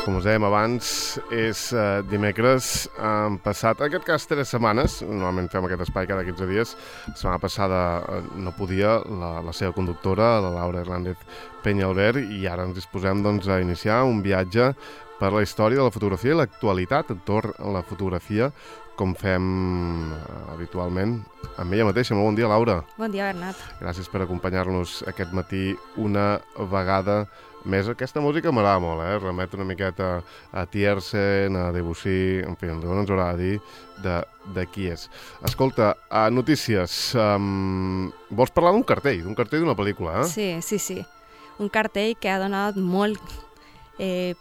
Com us dèiem abans, és dimecres. Han passat, en aquest cas, 3 setmanes. Normalment fem aquest espai cada 15 dies. La setmana passada no podia la seva conductora, la Laura Hernández Peñalver, i ara ens disposem a iniciar un viatge per la història de la fotografia i l'actualitat entorn a la fotografia, com fem habitualment amb ella mateixa. Molt bon dia, Laura. Bon dia, Bernat. Gràcies per acompanyar-nos aquest matí una vegada més. Aquesta música m'agrada molt, remet una miqueta a Tiersen, a Debussy, en fi, no ens haurà de dir de qui és. Escolta, notícies. Vols parlar d'un cartell d'una pel·lícula, eh? Sí. Un cartell que ha donat molt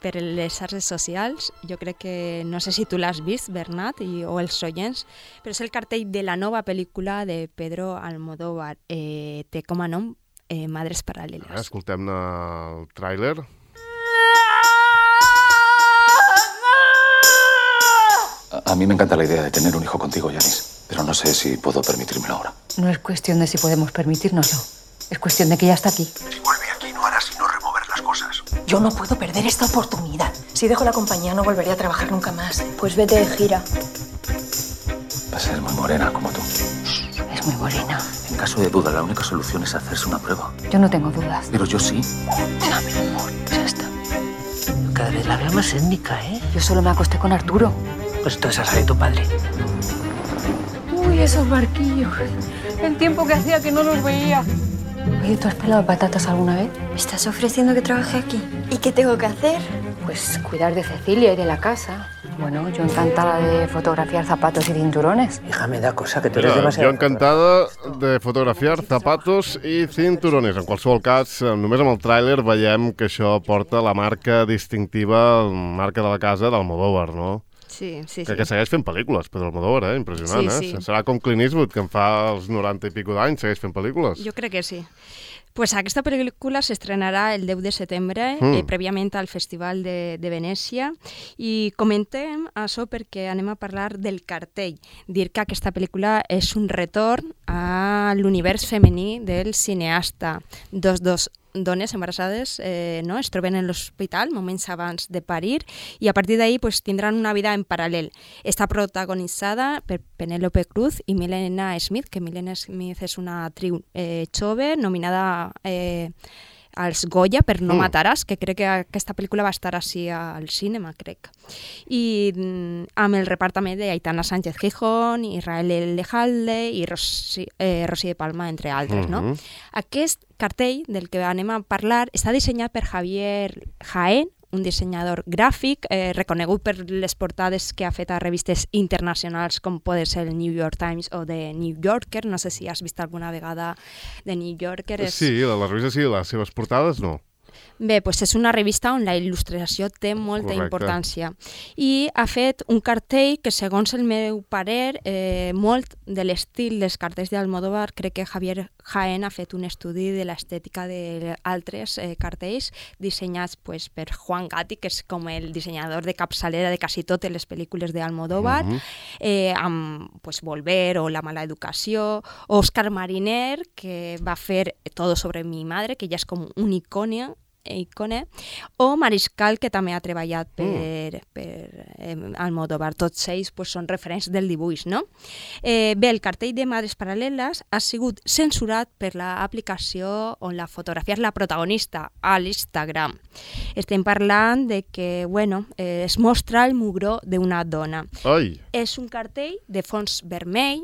per les xarxes socials. Jo crec que, no sé si tu l'has vist, Bernat, o els oients, però és el cartell de la nova pel·lícula de Pedro Almodóvar. Té com a nom Madres Paral·leles. Escoltem el tràiler. A mí me encanta la idea de tener un hijo contigo, Yanis, pero no sé si puedo permitírmelo ahora. No es cuestión de si podemos permitírnoslo, es cuestión de que ya está aquí. Si vuelve aquí no hará sino remover las cosas. Yo no puedo perder esta oportunidad. Si dejo la compañía no volveré a trabajar nunca más. Pues vete de gira. Va a ser muy morena como tú. Es muy morena. En caso de duda, la única solución es hacerse una prueba. Yo no tengo dudas. Pero yo sí. Dame, amor, ya está. Cada vez la veo más étnica, ¿eh? Yo solo me acosté con Arturo. Pues entonces esa de tu padre. Uy, esos barquillos. El tiempo que hacía que no los veía. Oye, ¿tú has pelado patatas alguna vez? ¿Me estás ofreciendo que trabaje aquí? ¿Y qué tengo que hacer? Pues cuidar de Cecilia y de la casa. Bueno, yo encantada de fotografiar zapatos y cinturones. Hija, me da cosa que tú eres demasiado... Jo encantada de fotografiar zapatos i cinturones. En qualsevol cas, només amb el tràiler veiem que això porta la marca distintiva, marca de la casa d'Almodóvar, no? Sí. Que segueix fent pel·lícules, Pedro Almodóvar, impressionant, Sí. Serà com Clint Eastwood, que en fa els 90 i pico d'anys, segueix fent pel·lícules. Jo crec que sí. Pues aquesta pel·lícula s'estrenarà el 10 de setembre, prèviament al Festival de Venècia, i comentem això perquè anem a parlar del cartell. Dir que aquesta pel·lícula és un retorn a l'univers femení del cineasta. Dos dones embarassades es troben en l'hospital moments abans de parir i a partir d'ahí tindran una vida en paral·lel. Està protagonitzada per Penélope Cruz i Milena Smith, que Milena Smith és una actriu jove, nominada als Goya per No mataràs, que crec que aquesta pel·lícula va estar així al cinema, crec. I amb el repartament d'Aitana Sánchez Gijón, Israel Lejalde i Rosy de Palma, entre altres, no? Aquest cartell del que anem a parlar està dissenyat per Javier Jaén, un dissenyador gràfic reconegut per les portades que ha fet a revistes internacionals com pot ser el New York Times o The New Yorker. No sé si has vist alguna vegada The New Yorker. Sí, les revistes sí, les seves portades no. Bé, és una revista on la il·lustració té molta importància. I ha fet un cartell que, segons el meu parer, molt de l'estil dels cartells d'Almodóvar, crec que Javier Jaén ha fet un estudi de l'estètica d'altres cartells dissenyats per Juan Gatti, que és com el dissenyador de capçalera de quasi totes les pel·lícules d'Almodóvar, amb Volver o La mala educació, Òscar Mariner, que va fer Todo sobre mi madre, que ja és com un icone, o Mariscal, que també ha treballat per Almodóvar. Tots ells són referents del dibuix, no? Bé, el cartell de Madres Paral·leles ha sigut censurat per l'aplicació on la fotografia és la protagonista, a l'Instagram. Estem parlant de que, es mostra el mugró d'una dona. Ai! És un cartell de fons vermell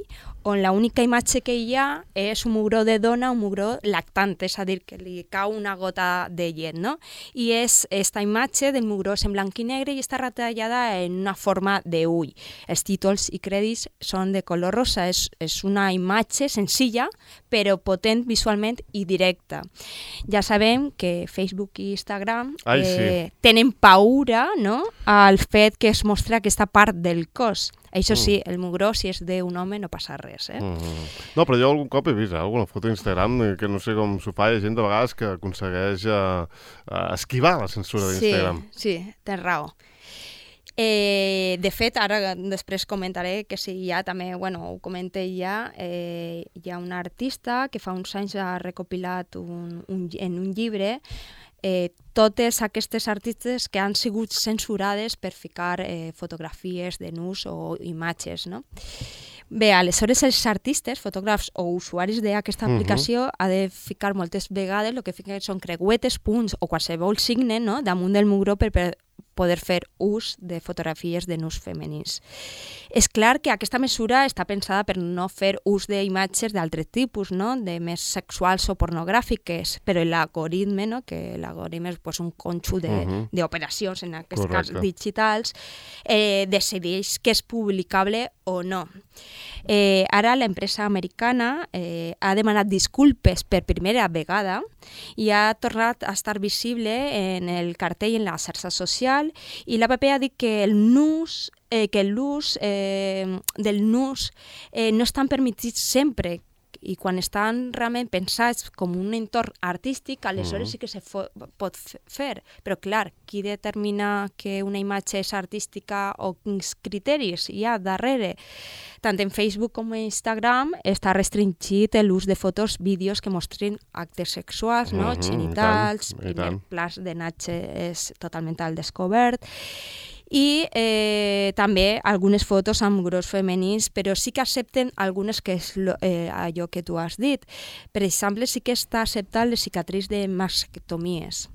on l'única imatge que hi ha és un mugró de dona, un mugró lactant, és a dir, que li cau una gota de llet, no? I és aquesta imatge del mugró en blanc i negre i està retallada en una forma d'ull. Els títols i crèdits són de color rosa. És una imatge senzilla, però potent visualment i directa. Ja sabem que Facebook i Instagram tenen paura, no?, al fet que es mostra aquesta part del cos. Això sí, el mugró, si és d'un home, no passa res, No, però jo algun cop he vist alguna foto d'Instagram que no sé com s'ho fa, hi ha gent de vegades que aconsegueix esquivar la censura d'Instagram. Sí, tens raó. De fet, ara després comentaré que si hi ha també, ho comenté ja, hi ha una artista que fa uns anys ha recopilat en un llibre totes aquestes artistes que han sigut censurades per ficar fotografies de nus o imatges, no? Bé, aleshores els artistes, fotògrafs o usuaris d'aquesta aplicació ha de ficar moltes vegades el que fiquen són creuetes, punts o qualsevol signe, no?, damunt del mugró per poder fer ús de fotografies de nus femenins. És clar que aquesta mesura està pensada per no fer ús d'imatges d'altre tipus, no?, de més sexuals o pornogràfiques, però l'algoritme, no?, que l'algoritme és un conjunt d'operacions, en aquest cas digitals, decideix que és publicable o no. Ara l'empresa americana ha demanat disculpes per primera vegada i ha tornat a estar visible en el cartell en la xarxa social, i l'APP ha dit que l'ús del nus no estan permetits sempre, i quan estan realment pensats com un entorn artístic, aleshores sí que se pot fer. Però clar, qui determina que una imatge és artística o quins criteris hi ha darrere? Tant en Facebook com en Instagram està restringit l'ús de fotos, vídeos que mostrin actes sexuals, no? Genitals, plans de natge és totalment al descobert, i també algunes fotos amb gros femenins, però sí que accepten algunes, que és allò que tu has dit. Per exemple, sí que està acceptat les cicatrius de mastectomies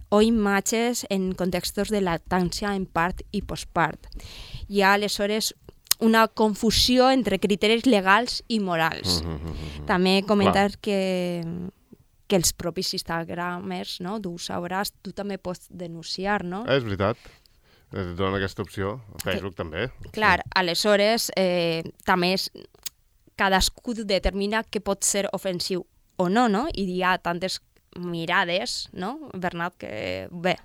o imatges en contextos de lactància en part i postpart. Hi ha aleshores una confusió entre criteris legals i morals. També comentar que els propis Instagramers, no?, tu sabràs, tu també pots denunciar, no? És veritat. Dona aquesta opció. A Facebook també. Clar, aleshores també cadascú determina què pot ser ofensiu o no, no? I hi ha tantes mirades, no, Bernat, que bé.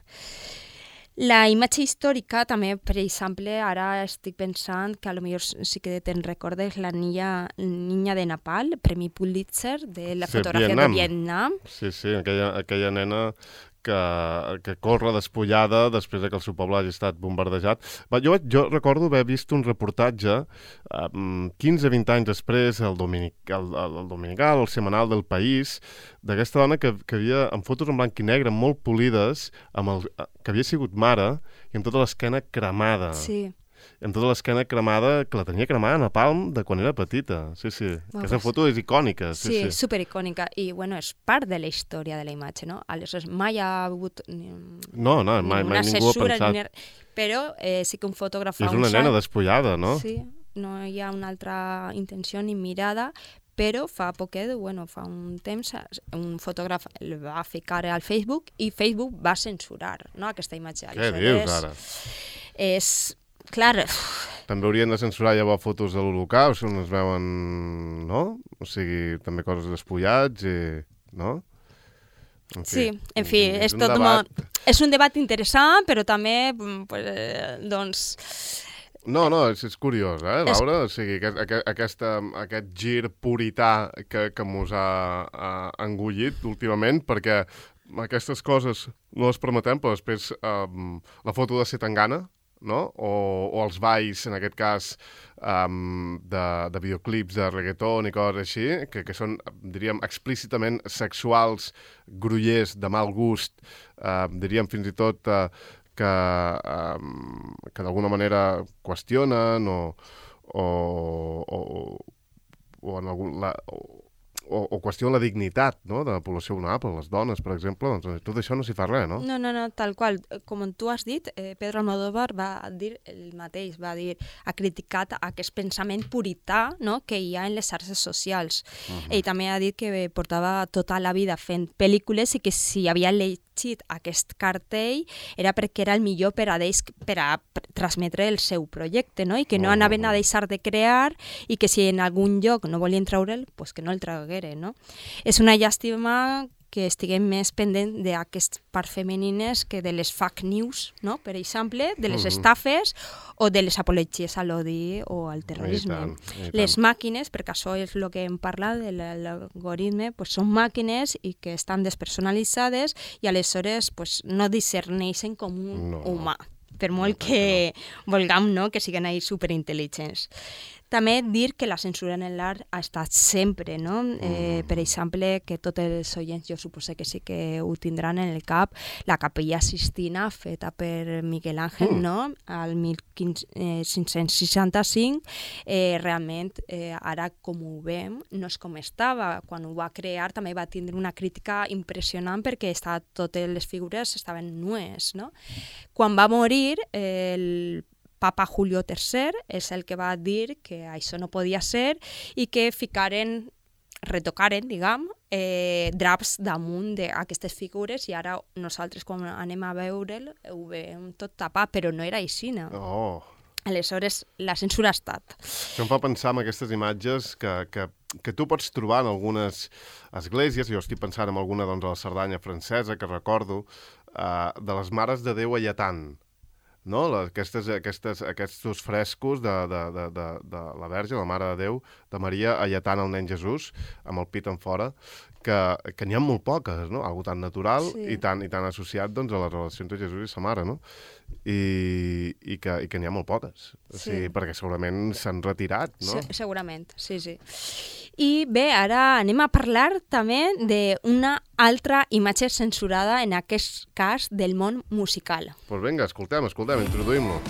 La imatge històrica també, per exemple, ara estic pensant que potser sí que te'n recordes la niña de Nepal, Premi Pulitzer, de la fotografia de Vietnam. Sí, aquella nena que corre despullada després que el seu poble hagi estat bombardejat. Jo recordo haver vist un reportatge 15-20 anys després, el dominical, el setmanal del País, d'aquesta dona que havia, amb fotos en blanc i negre molt polides, que havia sigut mare i amb tota l'esquena cremada. Sí. Amb tota l'esquena cremada, que la tenia cremada a Napalm de quan era petita. Sí. Aquesta foto és icònica. Sí, supericònica. I, és part de la història de la imatge, no? Aleshores, mai ha hagut mai ningú ha pensat. Però sí que un fotògraf És una nena despullada, no? Sí, no hi ha una altra intenció ni mirada, però fa poquet, fa un temps, un fotògraf el va ficar al Facebook i Facebook va censurar, no, aquesta imatge. Què dius, ara? Clar. També haurien de censurar llavors fotos de l'Holocaust, on es veuen, no? O sigui, també coses despullats, no? En fi, és tot és un debat interessant, però també, No, és curiós, Laura? O sigui, aquest gir purità que mos ha engullit últimament, perquè aquestes coses no les permetem, però després la foto de Setangana, no? O els balls, en aquest cas, de videoclips de reggaeton i coses així, que són, diríem, explícitament sexuals, grollers, de mal gust, diríem fins i tot que d'alguna manera qüestionen o qüestiona la dignitat, no?, de la població vulnerable, les dones, per exemple, doncs tot això no s'hi fa res, no? No, tal qual. Com tu has dit, Pedro Almodóvar va dir el mateix, ha criticat aquest pensament purità, no?, que hi ha en les xarxes socials. Ell també ha dit que portava tota la vida fent pel·lícules i que si havia llegit aquest cartell era perquè era el millor per a ells per a transmetre el seu projecte, no?, i que no anaven a deixar de crear i que si en algun lloc no volien treure'l, doncs que no el tragueren. No? És una llàstima que estiguem més pendent d'aquestes parts femenines que de les fake news, no? Per exemple, de les estafes o de les apologies a l'odi o al terrorisme. Les màquines, perquè això és el que hem parlat de l'algoritme, són màquines i que estan despersonalitzades i aleshores no discerneixen com un humà. per molt que vulguem, no?, que siguin ahí superintel·ligents. També dir que la censura en l'art ha estat sempre, no? Per exemple, que tots els oients, jo suposo que sí que ho tindran en el cap, la Capella Sistina, feta per Miguel Ángel, no?, al 1565, realment, ara com ho veiem, no és com estava. Quan ho va crear també va tindre una crítica impressionant perquè totes les figures estaven nues, no? Quan va morir, el Papa Julio III és el que va dir que això no podia ser i que retocaren, diguem, draps damunt d'aquestes figures i ara nosaltres quan anem a veure'l ho veiem tot tapat, però no era així, no? Oh. Aleshores, la censura ha estat. Això em fa pensar en aquestes imatges que tu pots trobar en algunes esglésies, jo estic pensant en alguna doncs, a la Cerdanya francesa, que recordo, de les Mares de Déu a Lletant, no? Aquests frescos de la Verge, la Mare de Déu, de Maria alletant el nen Jesús, amb el pit en fora, que n'hi ha molt poques, no? Algo tan natural i tan associat doncs, a la relació entre Jesús i sa mare, no? I que n'hi ha molt poques, perquè segurament s'han retirat, no? Segurament, sí. I bé, ara anem a parlar també d'una altra imatge censurada, en aquest cas del món musical. Doncs vinga, escoltem, introduïm-lo.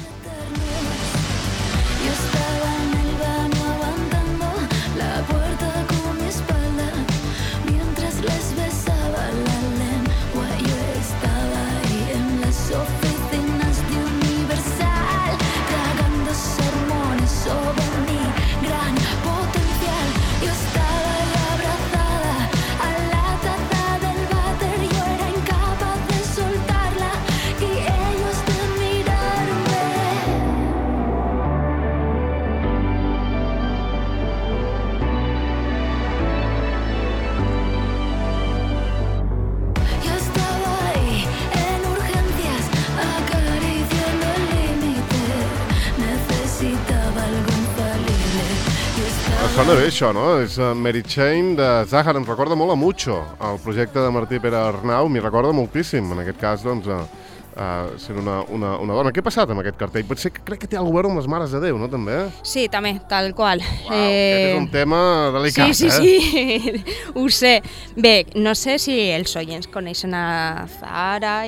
Sona bé això, no? És Mary Chain de Zahar, em recorda molt a Mucho, el projecte de Martí Pere Arnau, m'hi recorda moltíssim, en aquest cas, doncs, sent una dona. Què ha passat amb aquest cartell? Potser que crec que té alguna cosa amb les Mares de Déu, no, també? Sí, també, tal qual. Uau, aquest és un tema delicat, Sí, ho sé. Bé, no sé si els oients coneixen a Zahara,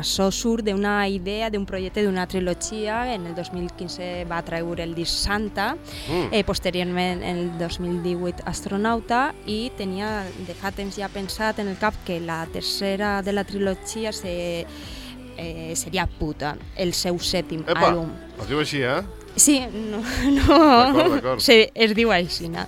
això surt d'una idea, d'un projecte d'una trilogia, en el 2015 va treure el disc Santa, posteriorment en el 2018 Astronauta, i tenia de fa temps ja pensat en el cap que la tercera de la trilogia seria Puta, el seu sèptim àlbum. Es diu així, eh? Sí, no. D'acord. Sí, es diu així, no?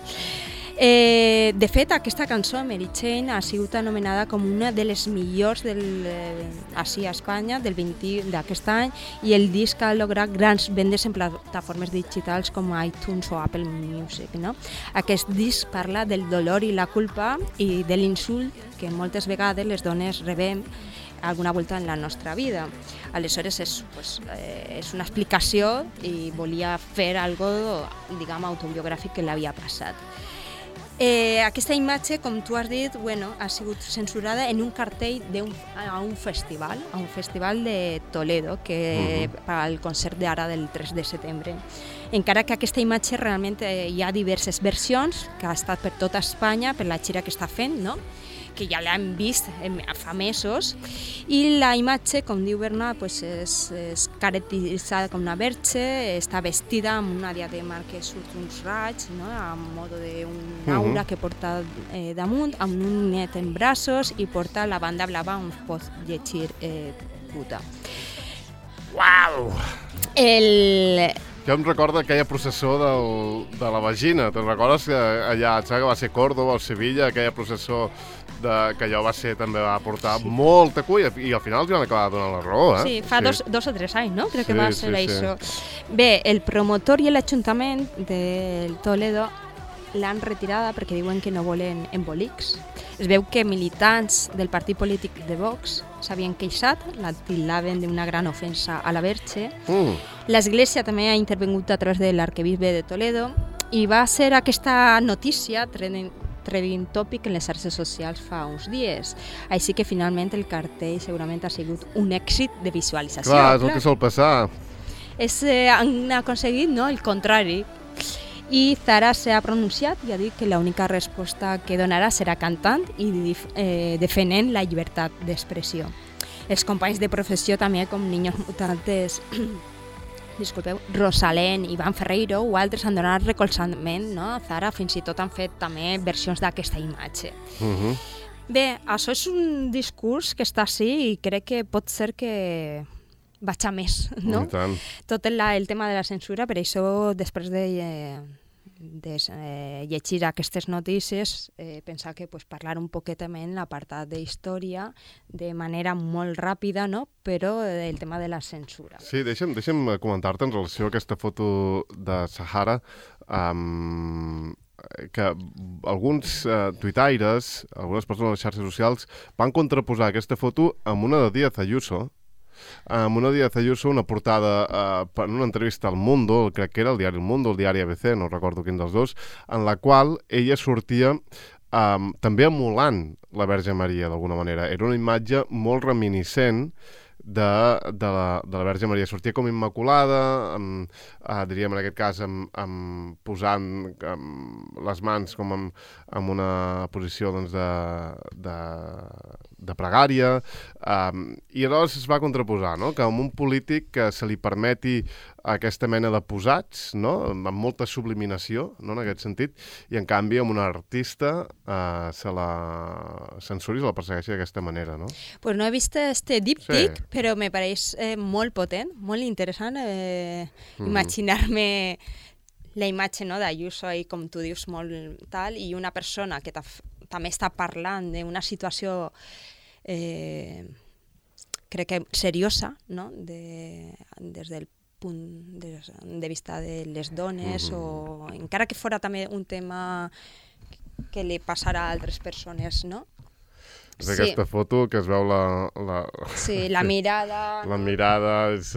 De fet, aquesta cançó, Mary Chain, ha sigut anomenada com una de les millors així a Espanya d'aquest any, i el disc ha lograt grans vendes en plataformes digitals com iTunes o Apple Music, no? Aquest disc parla del dolor i la culpa i de l'insult que moltes vegades les dones rebem alguna volta en la nostra vida. Aleshores és una explicació i volia fer algo, diguem, autobiogràfic que l'havia passat. Aquesta imatge, com tu has dit, ha sigut censurada en un cartell a un festival de Toledo, que al concert d'ara del 3 de setembre. Encara que aquesta imatge realment hi ha diverses versions, que ha estat per tota Espanya, per la gira que està fent, no?, que ja l'hem vist fa mesos, i la imatge, com diu Bernat, és caracteritzada com una verge, està vestida amb una diadema que surt uns raigs, no?, a modo d'un aura que porta damunt, amb un net en braços, i porta la banda blava on pot llegir Puta. Uau! Jo em recordo aquella processó de la vagina. Te'n recordes que allà, que va ser Córdoba o Sevilla, aquella processó que allò també va portar molta cuia, i al final els van acabar donant la raó, eh? Sí, fa 2 o 3 anys, no? Crec que va ser això. Bé, el promotor i l'Ajuntament de Toledo l'han retirada perquè diuen que no volen embolics. Es veu que militants del partit polític de Vox s'havien queixat, la tildaven d'una gran ofensa a la Verge. L'Església també ha intervingut a través de l'arquebisbe de Toledo, i va ser aquesta notícia trending topic en les xarxes socials fa uns dies. Així que finalment el cartell segurament ha sigut un èxit de visualització. Clar, és el que sol passar. Han aconseguit, no?, el contrari. I Zara s'ha pronunciat i ha dit que l'única resposta que donarà serà cantant i defendent la llibertat d'expressió. Els companys de professió també, com Niños Mutantes, Rosalén, Iván Ferreiro o altres han donat recolzament, no? A Zara fins i tot han fet també versions d'aquesta imatge. Bé, això és un discurs que està així i crec que pot ser que vaig a més, no? Tot el tema de la censura, per això després de llegir aquestes notícies pensar que parlar un poquet també en l'apartat d'història de manera molt ràpida, no? Però el tema de la censura. Sí, deixa'm comentar-te en relació a aquesta foto de Sahara que alguns tuitaires, algunes persones a les xarxes socials van contraposar aquesta foto amb una de Díaz Ayuso, una portada en una entrevista al Mundo, crec que era el diari El Mundo, el diari ABC, no recordo quin dels dos, en la qual ella sortia també emulant la Verge Maria, d'alguna manera. Era una imatge molt reminiscent de la Verge Maria. Sortia com immaculada, diríem en aquest cas posant les mans com en una posició de pregària, i llavors es va contraposar, no?, que amb un polític que se li permeti aquesta mena de posats, no?, amb molta subliminació, no?, en aquest sentit, i en canvi amb un artista se la censuri, se la persegueixi d'aquesta manera, no? Pues no he vist este díptic, però me pareix molt potent, molt interessant imaginar-me la imatge, no?, d'Ayuso i, com tu dius, molt tal, i una persona que també està parlant d'una situació crec que seriosa, no?, des del punt de vista de les dones, o encara que fora també un tema que li passarà a altres persones, no? És aquesta foto que es veu la mirada... La mirada, els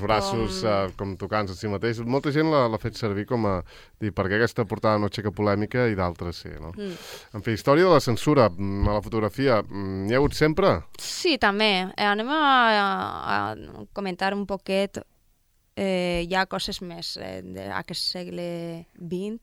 braços com tocant-se a si mateix. Molta gent l'ha fet servir com a dir per què aquesta portada no aixeca polèmica i d'altres sí, no? En fi, història de la censura a la fotografia, n'hi ha hagut sempre? Sí, també. Anem a comentar un poquet hi ha coses més d'aquest segle XX.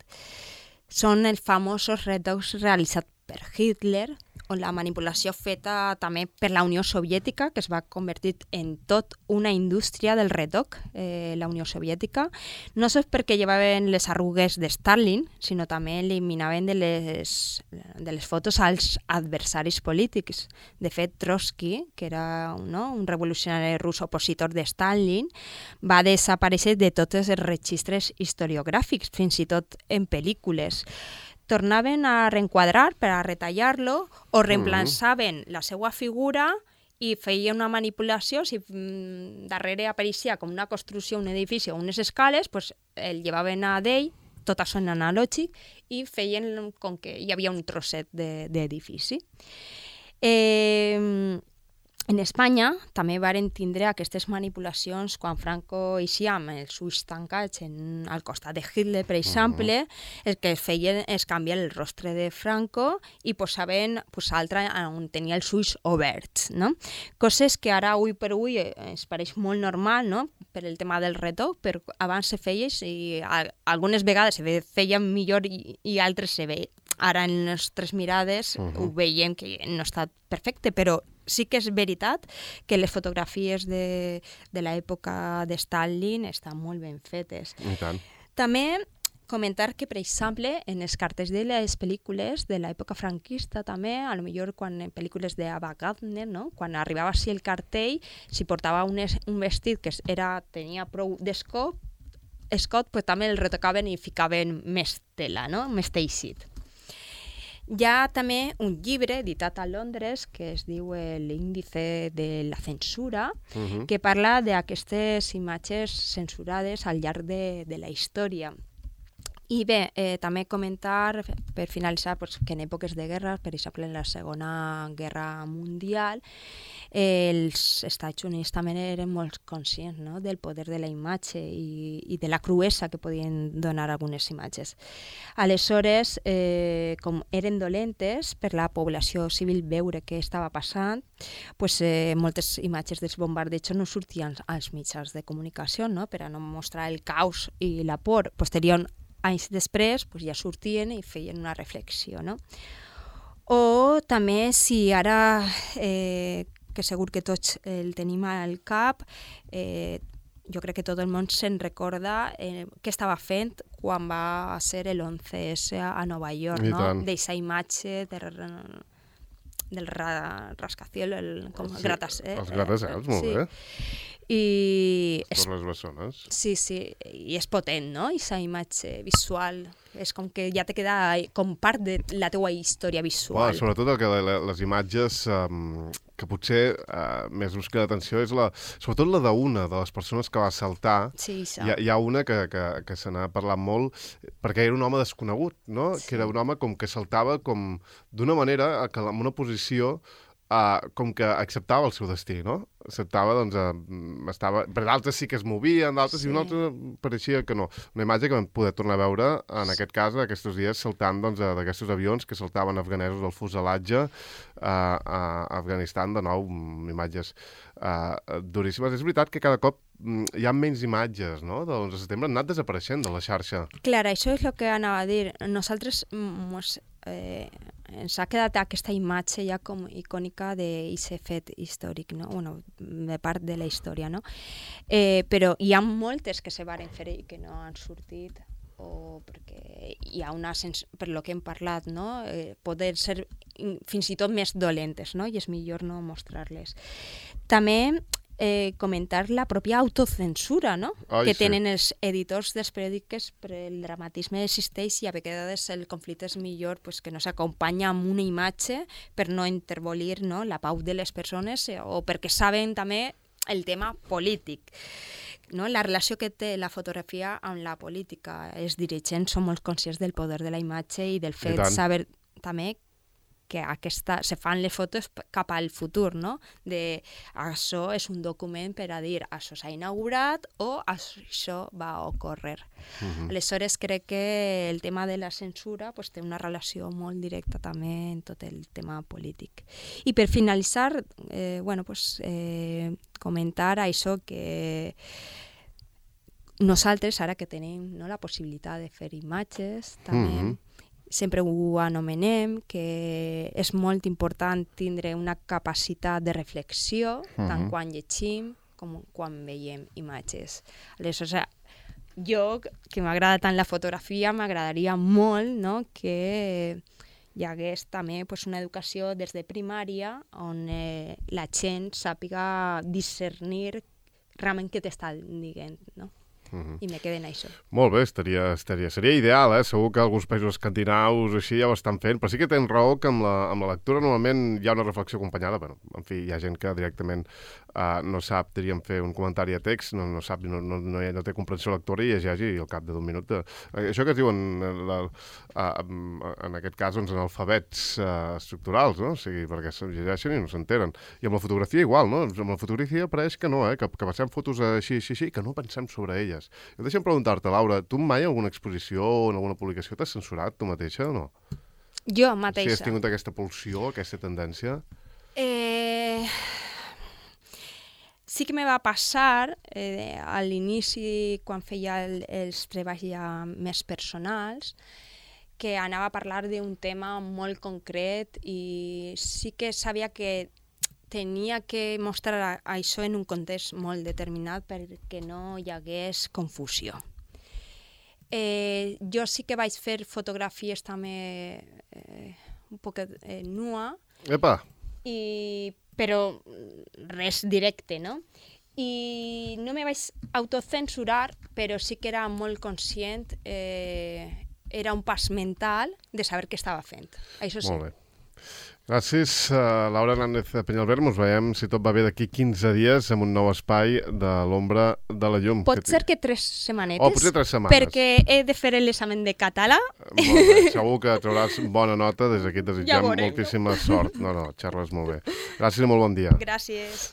Són els famosos retocs realitzats per Hitler, on la manipulació feta també per la Unió Soviètica, que es va convertir en tot una indústria del retoc, la Unió Soviètica, no sols perquè llevaven les arrugues de Stalin, sinó també eliminaven de les fotos als adversaris polítics. De fet, Trotsky, que era un revolucionari rus opositor de Stalin, va desaparèixer de tots els registres historiogràfics, fins i tot en pel·lícules. Tornaven a reenquadrar per a retallar-lo o reemplaçaven la seva figura i feien una manipulació. Si darrere apareixia com una construcció, un edifici o unes escales, pues el llevaven a d'ell, tot això en analògic, i feien com que hi havia un trosset d'edifici. En Espanya també varen tindre aquestes manipulacions quan Franco eixia amb els ulls tancats al costat de Hitler, per exemple, el que feien és canviar el rostre de Franco i posaven l'altre on tenia els ulls oberts, no? Coses que ara, avui per avui, ens pareix molt normal, no?, per el tema del retoc, però abans se feia i algunes vegades se feien millor i altres se veien. Ara, en les nostres mirades, ho veiem que no ha estat perfecte, però sí que és veritat que les fotografies de l'època de Stalin estan molt ben fetes. I tant. També comentar que, per exemple, en els cartells de les pel·lícules de l'època franquista també, a lo millor quan en pel·lícules d'Ava Gardner, no?, quan arribava així el cartell, si portava un vestit que tenia prou d'escot, pues també el retocaven i ficaven més tela, no?, més teixit. Hi ha també un llibre editat a Londres que es diu l'índice de la censura, que parla d'aquestes imatges censurades al llarg de la història. I bé, també comentar, per finalitzar, que en èpoques de guerra, per exemple en la Segona Guerra Mundial, els Estats Units també eren molt conscients, no?, del poder de la imatge i de la cruesa que podien donar algunes imatges. Aleshores, com eren dolentes per la població civil veure què estava passant, pues, moltes imatges dels bombardejos no sortien als mitjans de comunicació, no?, per a no mostrar el caos i la por. Posterior, anys després, pues, ja sortien i feien una reflexió, no? O també, si ara, que segur que tots el tenim al cap, jo crec que tot el món se'n recorda què estava fent quan va ser l'11S a Nova York, no? D'eixa imatge del rascacielos, com gratacels. Els gratacels, molt bé. Per les bessones. Sí, i és potent, no?, aquesta imatge visual. És com que ja te queda com part de la teua història visual. Sobretot que les imatges que potser més us queda atenció és sobretot la d'una de les persones que va saltar. Sí, hi ha una que se n'ha parlat molt perquè era un home desconegut, no? Sí. Que era un home com que saltava com d'una manera que en una posició com que acceptava el seu destí, no? Acceptava, doncs, per d'altres sí que es movien, d'altres i un altre pareixia que no. Una imatge que vam poder tornar a veure, en aquest cas, aquests dies, saltant d'aquests avions que saltaven afganesos del fuselatge a Afganistan, de nou, imatges duríssimes. És veritat que cada cop hi ha menys imatges, no?, de l'11 de setembre, han anat desapareixent de la xarxa. Clar, això és el que anava a dir. Nosaltres ens ha quedat aquesta imatge ja com icònica d'aquest fet històric, no? Bueno, de part de la història, no? Però hi ha moltes que se varen fer i que no han sortit, o perquè hi ha una, per lo que hem parlat, no?, poder ser fins i tot més dolentes, no?, i és millor no mostrar-les. També comentar la pròpia autocensura, no?, que tenen els editors dels periòdics, per el dramatisme existeix i a vegades el conflicte és millor que no s'acompanya amb una imatge per no intervolir, no?, la pau de les persones o perquè saben també el tema polític. No? La relació que té la fotografia amb la política. Els dirigents són molt conscients del poder de la imatge i del fet de saber també que se fan les fotos cap al futur, no? Això és un document per a dir això s'ha inaugurat o això va ocórrer. Aleshores crec que el tema de la censura té una relació molt directa també en tot el tema polític. I per finalitzar, comentar això que nosaltres, ara que tenim la possibilitat de fer imatges, també sempre ho anomenem, que és molt important tindre una capacitat de reflexió, tant quan llegim com quan veiem imatges. Aleshores, jo, que m'agrada tant la fotografia, m'agradaria molt, no?, que hi hagués també una educació des de primària on la gent sàpiga discernir realment què t'està dient, no? I me queden això. Molt bé, seria ideal, segur que alguns països escandinaus així ja ho estan fent, però sí que tens raó que amb la lectura normalment hi ha una reflexió acompanyada, però en fi, hi ha gent que directament no sap, diríem, fer un comentari a text, no sap, no té comprensió lectora i llegeix i al cap d'un minut... Això que es diuen, en aquest cas, en alfabets estructurals, no? O sigui, perquè se llegeixen i no s'entenen. I amb la fotografia igual, no? Amb la fotografia pareix que no, que passem fotos així, que no pensem sobre elles. Deixa'm preguntar-te, Laura, tu mai en alguna exposició o en alguna publicació t'has censurat tu mateixa o no? Jo mateixa. Si has tingut aquesta pulsió, aquesta tendència? Sí que me va passar a l'inici, quan feia els treballs ja més personals, que anava a parlar d'un tema molt concret i sí que sabia que tenia que mostrar això en un context molt determinat perquè no hi hagués confusió. Jo sí que vaig fer fotografies també un poc nua. Epa! Però res directe, no? I no me vaig autocensurar, però sí que era molt conscient, era un pas mental de saber què estava fent. Això sí. Molt bé. Gràcies, Laura Hernández Peñalver. Ens veiem, si tot va bé, d'aquí 15 dies amb un nou espai de l'ombra de la llum. Pot ser que 3 setmanetes. Potser 3 setmanes. Perquè he de fer l'examen de català. Molt bé, segur que trauràs bona nota. Des d'aquí et desitgem moltíssima sort. No, xerres molt bé. Gràcies i molt bon dia. Gràcies.